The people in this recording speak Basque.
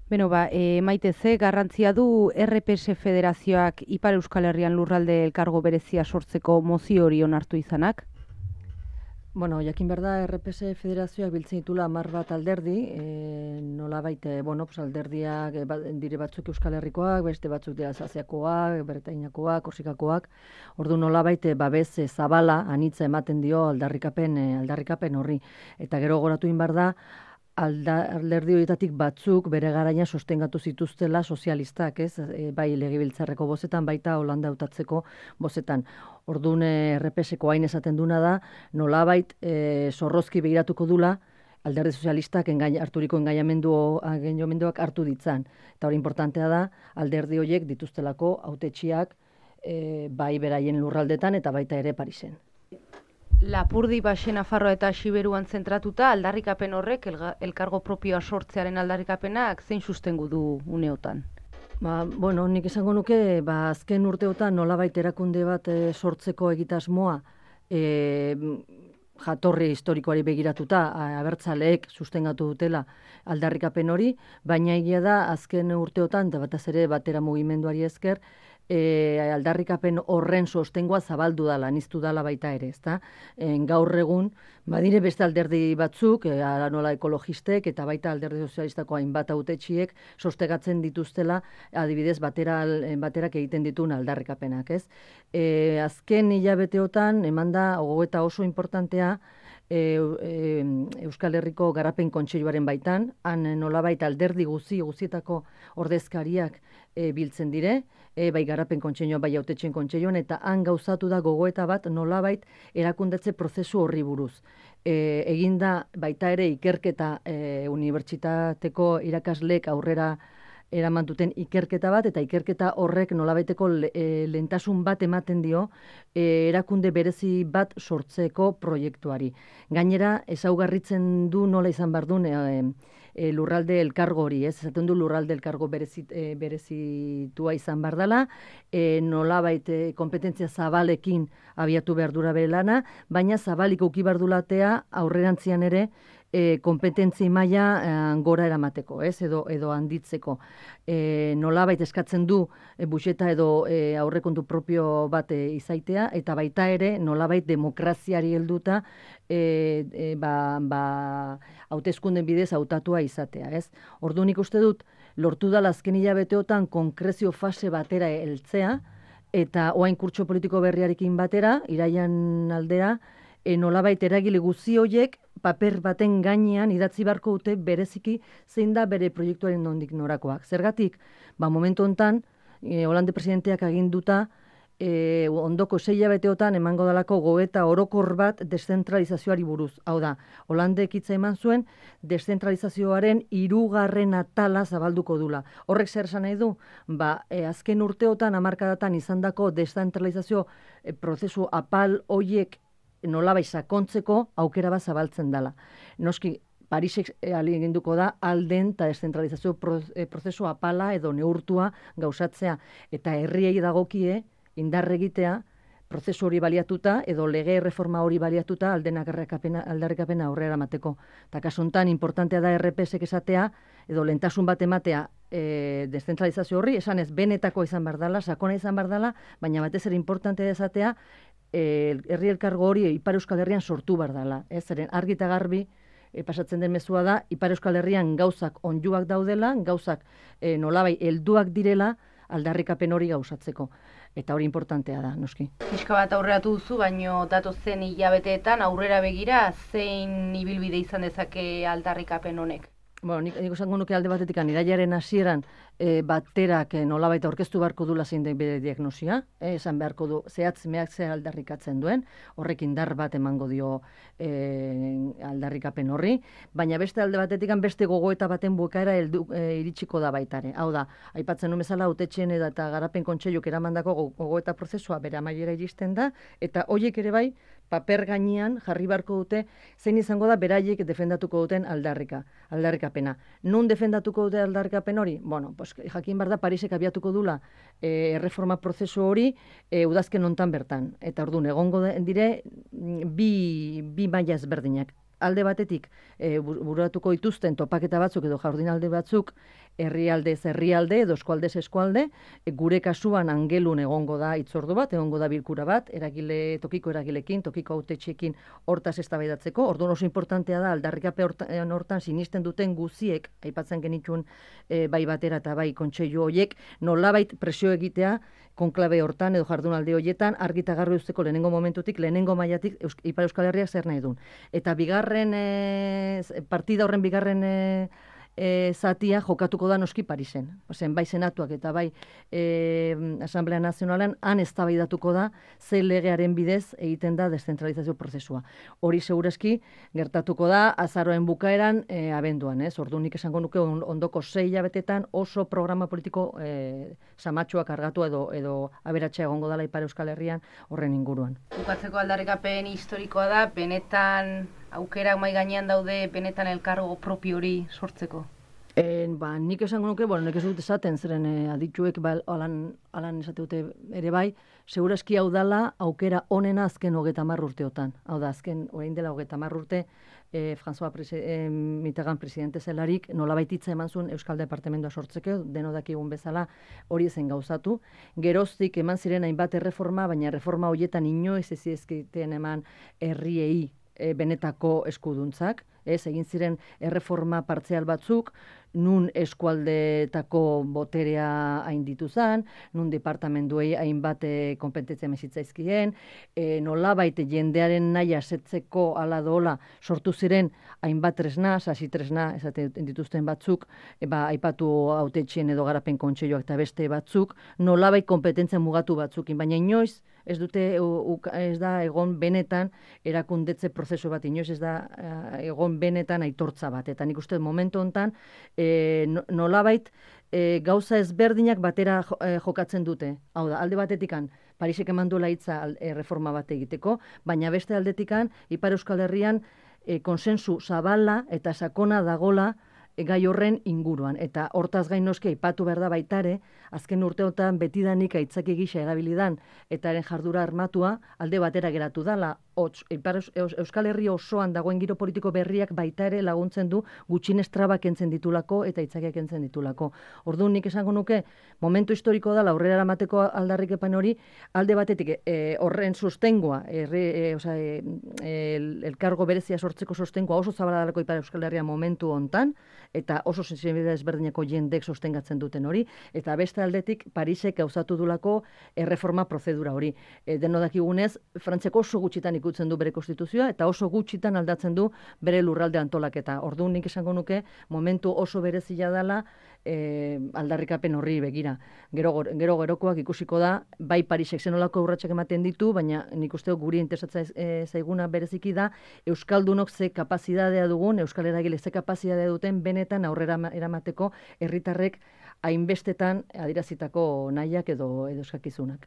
Beno, Maite, ze garrantzia du RPS Federazioak Ipar Euskal Herrian lurralde elkargo berezia sortzeko mozio hori onartu izanak? Bueno, jakin behar da, RPS Federazioak biltzen ditula 10 bat alderdi, nolabait, alderdiak dire batzuk Euskal Herrikoak, beste batzuk dira Alsaziakoak, Bretainakoak, Korsikakoak, ordu nolabait babes zabala anitza ematen dio aldarrikapen horri. Eta gero goratu behar da, alderdi horietatik batzuk bere garaia sostengatu zituztela sozialistak, ez? Bai legebiltzarreko bozetan, baita Holanda hautatzeko bozetan. Orduan RPSko hain esaten duna da, nolabait zorrozki begiratuko dula alderdi sozialistak harturiko engainamenduak hartu ditzan. Eta hori importantea da, alderdi horiek dituztelako hautetsiak bai beraien lurraldetan eta baita ere Parisen. Lapurdi, Baxe, Nafarroa eta Xiberuan zentratuta aldarrikapen horrek elkargo propioa sortzearen aldarrikapenak zein sustengu du uneotan? Bueno, nik esango nuke, azken urteotan nolabait erakunde bat sortzeko egitasmoa jatorri historikoari begiratuta, abertzaleek sustengatu dutela aldarrikapen hori, baina egia da azken urteotan, eta batez ere batera mugimenduari esker, aldarrikapen horren sostengoa zabaldu dala, niztu dala baita ere, ezta? Gaur egun, badire beste alderdi batzuk, nola ekologistek eta baita alderdi sozialistako hainbat hautetsiek sostegatzen dituztela, adibidez baterak egiten dituen aldarrikapenak, ez? Azken hilabeteotan, eman da, gogoeta oso importantea, Euskal Herriko Garapen Kontseiluaren baitan, han nolabait alderdi guzietako ordezkariak biltzen dire, bai Garapen Kontseilua, bai Hautetxeen Kontseiluan, eta han gauzatu da gogoeta bat nolabait erakundetze prozesu horri buruz. Eginda baita ere ikerketa unibertsitateko irakasleek aurrera eraman duten ikerketa bat, eta ikerketa horrek nolabaiteko lehentasun bat ematen dio erakunde berezi bat sortzeko proiektuari. Gainera, ezaugarritzen du nola izan behar duen lurralde elkargo hori, ez? Esaten du lurralde elkargo berezitua izan behar dela, nolabait kompetentzia zabalekin abiatu behar dura bere lana, baina zabalik uki behar dulatea aurrerantzian ere kompetentzi maila gora eramateko, ez? Edo handitzeko. Nolabait eskatzen du buxeta edo aurrekontu propio bat izaitea, eta baita ere nolabait demokraziari helduta hauteskunden bidez hautatua izatea, ez? Orduan nik uste dut, lortu dala azken hilabeteotan konkrezio fase batera heltzea, eta orain kurtso politiko berriarekin batera, iraian aldera, nolabait eragile guzi horiek paper baten gainean idatzi beharko dute bereziki zein da bere proiektuaren nondik norakoak. Zergatik, momentu hontan, Holande presidenteak aginduta, ondoko 6 hilabeteotan emango dalako gogoeta orokor bat deszentralizazioari buruz. Hau da, Holandek hitza eman zuen deszentralizazioaren 3. atala zabalduko dula. Horrek zer esan nahi du? Azken urteotan, hamarkadatan izandako deszentralizazio prozesu apal hoiek nolabait sakontzeko aukera bat zabaltzen dela. Noski, Parisek ahaleginduko da alden eta deszentralizazio prozesu apala edo neurtua gauzatzea, eta herriei dagokie indar egitea prozesu hori baliatuta edo lege reforma hori baliatuta aldarrikapena aurrera emateko. Eta kasu honetan importantea da RPSek esatea edo lehentasun bat ematea deszentralizazio horri, esan ez benetako izan behar dela, sakona izan behar dela, baina batez ere importantea esatea herri elkargo hori Ipar Euskal Herrian sortu behar dela. Zeren argi eta garbi pasatzen den mezua da, Ipar Euskal Herrian gauzak onjuak daudela, gauzak nolabai helduak direla aldarrikapen hori gauzatzeko. Eta hori importantea da, noski. Pixka bat aurreratu duzu, baino datozen hilabeteetan aurrera begira zein ibilbide izan dezake aldarrikapen honek? Nik esango nuke alde batetik iraiaren hasieran baterak nolabait aurkeztu beharko dula zein den bere diagnosia, esan beharko du zehatz mehatz zer aldarrikatzen duen, horrek indar bat emango dio aldarrikapen horri, baina beste alde batetik beste gogoeta baten bukaera iritsiko da baitare. Hau da, aipatzen nuen bezala hautetxeen eta Garapen Kontseiluk eramandako gogoeta prozesua bere amaiera iristen da, eta horiek ere bai paper gainean jarri beharko dute zein izango da beraiek defendatuko duten aldarrikapena. Nun defendatuko dute aldarrikapen hori? Jakin behar da Parisek abiatuko dula erreforma prozesu hori udazken hontan bertan. Eta orduan egongo dire bi maila ezberdinak. Alde batetik buratuko dituzten topaketa batzuk edo jardunaldi batzuk herrialdez herrialde edo eskualdez eskualde, gure kasuan Angelun egongo da hitzordu bat, egongo da bilkura bat, tokiko eragilekin, tokiko hautetxeekin hortaz eztabaidatzeko. Orduan oso importantea da aldarrikapen hortan sinisten duten guziek, aipatzen genituen bai batera eta bai kontseilu horiek, nolabait presio egitea konklabe hortan edo jardunaldi horietan argita garbi usteko lehenengo momentutik, lehenengo mailatik Ipar Euskal Herriak zer nahi duen. Eta partida horren bigarren zatia jokatuko da noski Parisen. Bai senatuak eta bai Asamblea Nazionalean han eztabaidatuko da ze legearen bidez egiten da deszentralizazio prozesua. Hori segurazki gertatuko da azaroen bukaeran abenduan, ez? Orduan nik esango nuke ondoko 6 hilabetetan oso programa politiko samatxoak kargatu edo aberatsa egongo dela Ipar Euskal Herrian horren inguruan. Bukatzeko aldarrikapen historikoa da, benetan aukerak mahai gainean daude benetan elkargo propio hori sortzeko? Nik esango nuke, nik ez dut esaten, zeren adituek alan esate dute ere bai, segurazki hau dala aukera onena azken 30 urteotan. Hau da, azken orain dela 30 urte, François Mitterrand presidente zelarik, nolabait hitza eman zuen Euskal Departamentoa sortzeko, deno dakigun bezala hori zen gauzatu. Geroztik eman ziren hainbat erreforma, baina reforma horietan inoiz ez ezkiten eman herriei benetako eskuduntzak, egin ziren erreforma partzial batzuk, nun eskualdetako boterea hainditu zen, nun departamentuei hainbat konpetentzia mesitzaizkien, nolabait jendearen nahi asetzeko ala dola sortu ziren hainbat tresna, sasi tresna, esaten dituzten batzuk, aipatu hautetxien edo garapen kontseiluak eta beste batzuk, nolabait konpetentzia mugatu batzukin, baina inoiz ez da egon benetan erakundetze prozesu bat, inoiz ez da egon benetan aitortza bat. Eta nik uste momentu honetan nolabait gauza ezberdinak batera jokatzen dute. Hau da, alde batetikan Parisek eman duela hitza reforma bat egiteko, baina beste aldetikan Ipar Euskal Herrian konsensu zabala eta sakona dagola gai horren inguruan. Eta hortaz gain noski aipatu behar da baitare, azken urteotan betidanik aitzaki gisa erabilidan eta eren jardura armatua alde batera geratu dala. Euskal Herri osoan dagoen giro politiko berriak baita ere laguntzen du gutxienez trabak kentzen ditulako eta aitzakiak kentzen ditulako. Orduan nik esango nuke, momentu historiko da aurrera eramateko aldarrikapen hori, alde batetik horren sostengua, elkargo berezia sortzeko sostengua oso zabala dalako Ipar Euskal Herria momentu hontan, eta oso sensibilidade ezberdineko jendek sostengatzen duten hori, eta beste aldetik Parisek gauzatu dulako erreforma prozedura hori. Deno dakigunez, Frantziako oso gutxitan ikutzen du bere konstituzioa, eta oso gutxitan aldatzen du bere lurralde antolaketa. Orduan nik esango nuke, momentu oso berezia dela aldarrikapen horri begira. Gerokoak ikusiko da, bai Parisek zenolako urratsak ematen ditu, baina nik uste guri interesatzen zaiguna bereziki da, Euskaldunok ze kapazitatea dugun, Euskal Eragile ze kapazitatea duten benetan aurrera eramateko herritarrek hainbestetan adierazitako nahiak edo eskakizunak.